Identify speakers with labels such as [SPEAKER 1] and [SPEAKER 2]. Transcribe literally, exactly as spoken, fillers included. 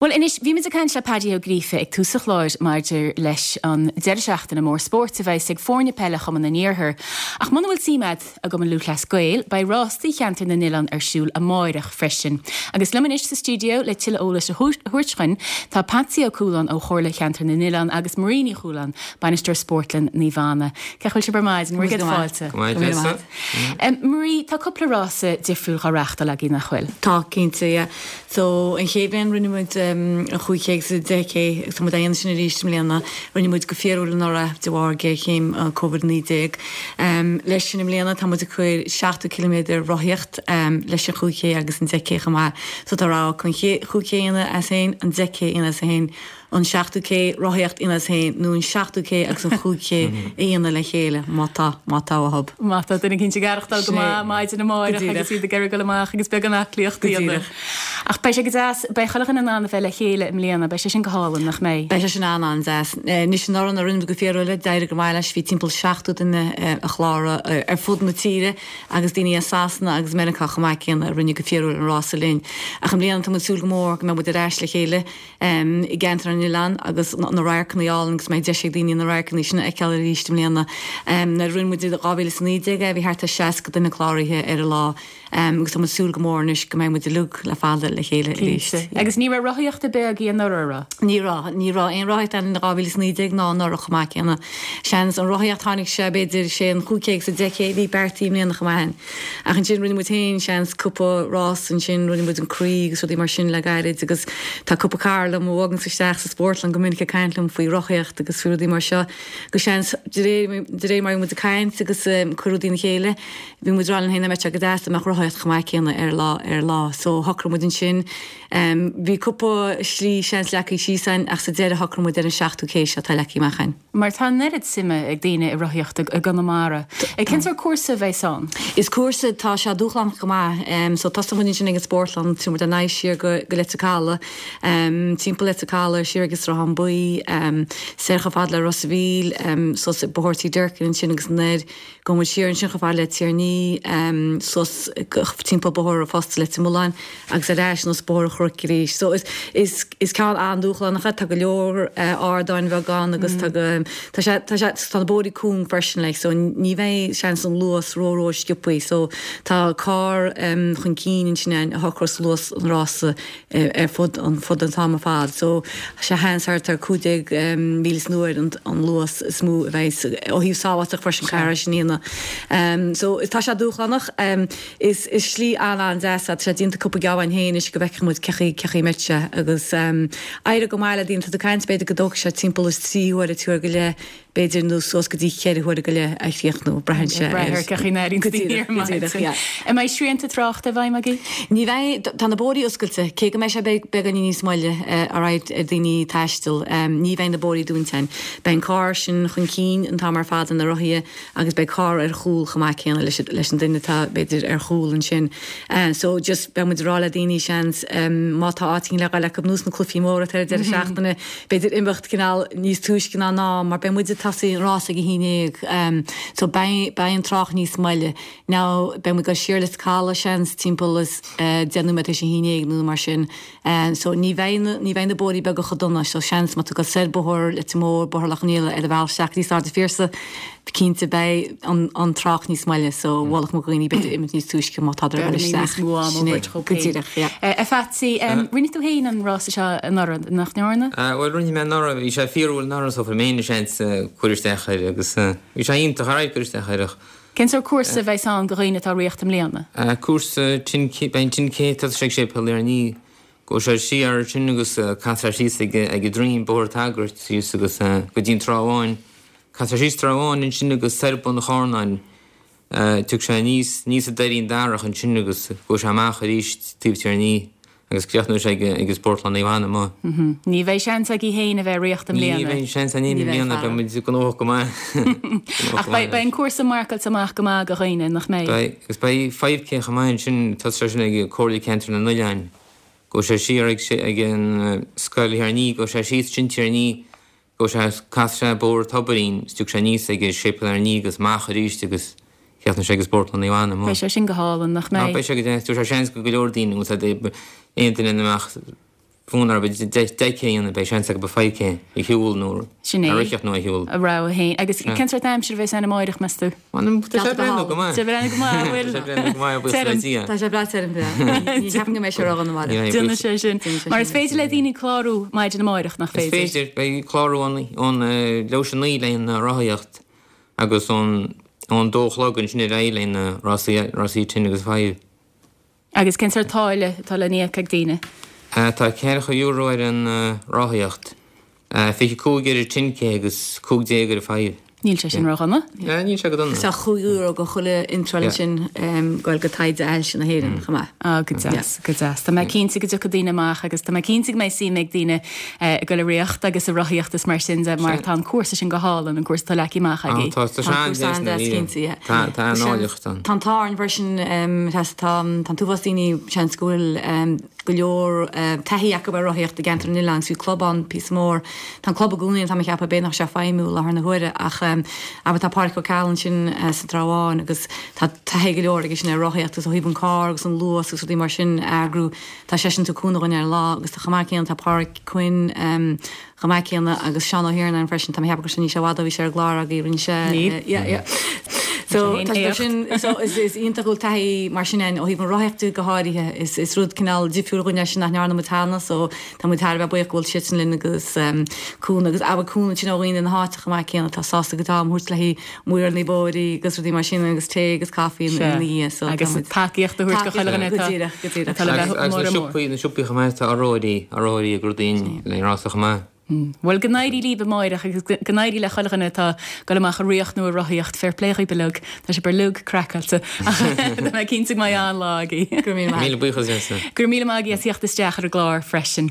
[SPEAKER 1] Well anois bhí muid ag caint le Paddy Ó Gríofa ag tús an chláir maidir leis an deireadh seachtaine mór spóirt a bheas ag foirne peile Chumann an Iarthair. Ach muna bhfuil suim agat i gCumann Lúthchleas Gael, beidh rástaí cheantar na nOileán ar siúl amárach freisin. Agus liom anois sa stiúideo le tuilleadh eolais a thabhairt dúinn, tá Patsy Ó Cualáin ó Chomhairle Cheantar na nOileán agus Marie Ní Chualáin, bainisteoir Spórtlann Naomh Anna. Cén chaoi a bhfuil sibh ar maidin mar fáilte. Marie tá cúpla rása difriúil á reáchtáil agaibh nach bhfuil.
[SPEAKER 2] Tá cinnte yeah. So an chéad bhliain rinne muid um, an chúig K agus deich K agus tá muid ag déanamh sin arís i mbliana rinne muid go fíorúil anuraidh de bharr géarchéim uh, COVID naoi déag. Um, leis sin i mbliana tá muid ag cur seachtó kilometer rothaíocht um, leis an chúig K agus an deich K chomh maith. So tá rogha chun chúig K a dhéanamh as féin an deich K a dhéanamh as féin an seachtó K rothaíocht a dhéanamh as féin nó an seachtó K agus an chúig K a dhéanamh le chéile má tá má tá a hob.
[SPEAKER 1] Má tá duine cinnte garachtal go maith maidin amárach agus iad ag iarraidh amach agus beagán aclaíochta. Ach beidh sé go deas beidh chuile dhuine in ann a bheith le chéile i mbliana, beidh sé sin go hálainn nach mbeidh.
[SPEAKER 2] Beidh sé sin an an-deas. Anois anuraidh a rinne go fíorúil d'éirigh go maith leis bhí timpeall seachtó duine a chláraigh ar fud na tíre agus daoine as Sasana agus Meiriceá chomh maith céanna a rinne go fíorúil an rása linn. Ach i mbliana tá súil go mór go mbeidh muid ar ais le chéile um, i gceantar an oileán agus na radharcanna álainn agus mbeidh deis ag daoine na radharcanna sin a fheiceáil arís i mbliana. Um, nuair a rinne muid dhá mhíle is naoi déag bhí thart ar seasca duine cláraithe ar an lá um, agus tá súil go mór anois go mbeidh muid uilig le fada le chéile arís.
[SPEAKER 1] Agus ní raibh rothaíocht ar bith agaibh anuraidh?
[SPEAKER 2] Ní raibh ní raibh aon rothaíocht an dhá mhíle is naoi déag ná anuraidh chomh maith céanna. Seans an rothaíocht tháinig sé b'fhéidir sé an chúig K agus deich K bhí beartaithe i mbliana chomh maith. Ach ansin rinne muid féin seans cúpla rás ansin rinne muid an croí agus rudaí mar sin le gairid agus tá cúpla cara liom a bhagann isteach sa spórtlann go minic ag caint liom faoi rothaíocht agus faoi rudaí mar seo go seans de réir mar muid ag caint agus um, cur rudaí le chéile bhí muid rá linn féin go deas dá mbeadh rothaíocht chomh maith céanna ar lá ar lá so shocraigh muid ansin um, bhí cúpla slí seans leagtha síos againn ach sa deireadh shocraigh muid ar an seachtó K seo atá leagtha amach againn.
[SPEAKER 1] Mar tá an oiread suime ag daoine i rothaíocht i gConamara. Ag cén sórt cúrsa a bheas ann?
[SPEAKER 2] Is cúrsa tá sé dúshlánach go maith um, so tosóidh muid sin ag an spórtlann tú an éis siar go, go Leitir Caladh um, timpeall Leitir Caladh siar agus Sruthán Buí um, soir chomh fada le Ros an Mhíl um, suas Bóthar Tí Durkin ansin agus anoir go bhfuil siar ansin chomh fada le Tír an Fhia um, suas timpeall Bóthar Fosta Leitir Mealláin agus ar ais anuas Bóthar an Chnoic arís. So is, is, is ceann an-dúshlánach tá go leor uh, ardáin bheaga agus mm. tá go tá sé tá sé tá na bóithre cúng freisin like, so ní bheidh seans an luas ró ró sciobtha so tá carr um, chun cinn sin a shocrós luas an rása uh, ar fud an fud an t-am ar fad so sé seans thart ar cúig déag um, míle san uair an, an luas is mó a bheidh ó thaobh sábháilteacht freisin car sin ína. Um, so tá sé dúshlánach um, is, is slí an an-deas sé déanta cúpla geáin héin is go bhfeicfidh muid cén chaoi cén chaoi a mbeidh sé agus um, éirigh go maith le daoine tá caint b'fhéidir go dtógfaidh sé timpeall is trí huaire trí huaire go leith b'fhéidir nó suas go dtí ceithre huaire go leith a chríochnú braitheann sé
[SPEAKER 1] An mbeidh srianta tráchta i bhfeidhm agaibh?
[SPEAKER 2] Ní bheidh tá na bóithre oscailte cé go mbeidh sé beagáinín níos moille ar aghaidh ar daoine taisteal ní bheidh na bóithre dúnta. Beidh an carr sin chun cinn an t-am ar fad na rothaithe agus beidh carr ar chúl chomh maith céanna leis leis an duine atá b'fhéidir ar chúl ansin. Uh, so just beidh muid ag rá le daoine seans um, má tá áit le le nós na cluichí móra ar deireadh seachtaine b'fhéidir imeacht cineál níos túisce ná ná mar beidh muid ag tosú an rás ag a haon déag um, so beidh an trácht níos moille now beidh muid ag dul siar Leitir Caladh seans timpeall is uh, déanú me sé hínéag nó mar sin um, so ní bheidh ní bheidh na bóithre beaga chomh dona so seans má tá go soir Bóthar Leitir Móir Bóthar Loch an Ialla ar a bhealach isteach níos Sráid an Phiarsaigh cinnte beidh an, an trácht níos moille so mholfadh mo dhaoine b'fhéidir imeacht níos túisce má tá isteach
[SPEAKER 1] go díreach. A Phatsy rinne tú féin an rás seo anuraidh nach ndearna?
[SPEAKER 3] Well rinne mé anuraidh bhí sé fíorúil anuraidh so mé seans cur isteach air agus bhí sé iontach ar cur isteach air.
[SPEAKER 1] Cén sórt cúrsa a bheas ann do dhaoine atá ag rith i mbliana?
[SPEAKER 3] Cúrsa beidh ten K tá sé sé pe ní go sé siar sin agus castar síos ag ag Dream Bóthar Taggart síos agus go dtí an Trá Bháin. Castar síos Trá Bháin ansin agus soir Bun an Charnáin Tug sé níos níos a deirín darach ansin agus go sé amach arís taobh Tír an Fhia agus críochnóidh sé ag Spórtlann Naomh Anna amuigh.
[SPEAKER 1] Ní bheidh seans agaibh féin a bheith ag rith i mbliana.
[SPEAKER 3] Ní bheidh seans againn i mbliana beidh muid gnóthach go maith.
[SPEAKER 1] Ach beidh an cúrsa marcáilte amach go maith do dhaoine nach mbeidh.
[SPEAKER 3] Beidh agus beidh five K chomh maith ansin tá sé sin ag Comhairle Ceantar na nOileán. Go sé siar ag ag an scoil Thír an Fhia, go sé síos sin Tír an Fhia, go sé cas sé Bóthar Tobairín, is tiocfaidh sé aníos ag Séipéal Fhear an Rí agus amach arís agus críochnóidh sé ag Spórtlann Naomh Anna amuigh.
[SPEAKER 1] Beidh sé sin go hálainn nach mbeidh?
[SPEAKER 3] Beidh sé go deas, sé seans go go leor daoine agus aon duine amach fonn orthu deich K a dhéanamh, beidh seans acu five K a shiúl nó
[SPEAKER 1] Sin é.
[SPEAKER 3] a ritheacht nó a shiúl.
[SPEAKER 1] A rogha féin. Agus cén sórt aimsir a bheas ann amáireach, meas tú?
[SPEAKER 3] Tá sé breathnú go maith.
[SPEAKER 1] Tá sé breathnú go maith, an bhfuil?
[SPEAKER 3] Tá sé breathnú go maith, buíochas le Dia.
[SPEAKER 2] Tá sé breá tirim, yeah. Ní cheapaim go mbeidh sé ródhona amárach.
[SPEAKER 1] Déanfaidh sé sin. Mar is féidir le daoine clárú maidin amáireach, nach
[SPEAKER 3] Is
[SPEAKER 1] féidir?
[SPEAKER 3] féidir. Beidh clárú ón leathuair tar éis a naoi le haghaidh na rothaíocht agus ón ón dó a chlog ansin ar aghaidh le haghaidh na rásaí rásaí ten agus five.
[SPEAKER 1] Agus cén sórt táille atá le n-íoc ag daoine?
[SPEAKER 3] Tá ceathracha euro ar an rothaíocht, fiche cúig ar an ten K agus cúig déag ar an five.
[SPEAKER 1] Níl sé sin ródhona.
[SPEAKER 3] Níl sé go dona.
[SPEAKER 2] Tá chúig euro go chuile iontráil ansin goil go taighde ailse na hÉireann chomh maith.
[SPEAKER 1] Ah, go deas, go deas. Tá mé cinnte go dtiocfaidh daoine amach agus tá mé cinnte go mbeidh suim ag daoine ag dul ag ritheacht agus ag rothaíocht is mar sin de mar tá an cúrsa sin go hálainn, an cúrsa atá leagtha amach agaibh.
[SPEAKER 3] Tá, tá sé an-deas
[SPEAKER 2] cinnte, yeah.
[SPEAKER 3] Tá, tá an-áilleacht ann.
[SPEAKER 2] Tá an t-ádh orainn freisin, tá an t-uafás daoine seans go bhfuil go leor taithí acu ar rothaíocht i gceantar na n-oileán, bhí club ann píosa mór. Tá an club i gcónaí ann, tá mé ag ceapadh, b'fhéidir nach bhfuil sé ag feidhmiú i láthair na huaire ach abair tá Pádraic Ó Ceallaigh ansin sa Trá Bháin agus tá taithí go leor aige sin ar rothaíocht agus ó thaobh an carr agus an luas agus rudaí mar sin a eagrú, tá seisean ag tabhairt cúnamh dhúinn ar an lá agus tá chomh maith céanna tá Páraic Quinn chomh maith céanna agus Seán Ó hIarnáin freisin, tá mé ag ceapadh go raibh sé níl sé i bhfad ó bhí sé ar an gclár agaibh, rinne sé yeah yeah. So tá sé sin so is is iontach go bhfuil taithí mar sin ann ó thaobh an rothaíochta go háirithe is is rud cineál difriúil dhúinn é sin nach ndearna muid cheana so tá muid thar a bheith buíoch go bhfuil siadsan linn agus cúnamh agus abair cúnamh sin ó dhaoine na háite chomh maith céanna atá sásta go t-am a thabhairt le haghaidh maor na bóithrí agus rudaí mar sin agus tae agus caife ina dhiaidh so
[SPEAKER 1] Agus tacaíocht a thabhairt go chuile dhuine
[SPEAKER 2] Go díreach, go díreach.
[SPEAKER 1] atá le bheith
[SPEAKER 3] Agus
[SPEAKER 1] mór
[SPEAKER 3] na
[SPEAKER 1] mór.
[SPEAKER 3] siopaí na siopaí chomh maith tá urróirí urróirí ag rudaí le rása chomh maith.
[SPEAKER 1] Bhuel go n-éirí libh amáireach agus go n-éirí le chuile dhuine atá ag dul amach ag ritheacht nó ag rothaíocht fair play dhaoibh uilig, tá sibh uilig craiceáilte ach tá mé cinnte go mbeidh an-lá agaibh.
[SPEAKER 2] Go raibh míle maith.
[SPEAKER 3] Míle buíochas leatsa.
[SPEAKER 1] Go raibh míle maith agaibh as theacht isteach ar an gclár freisin.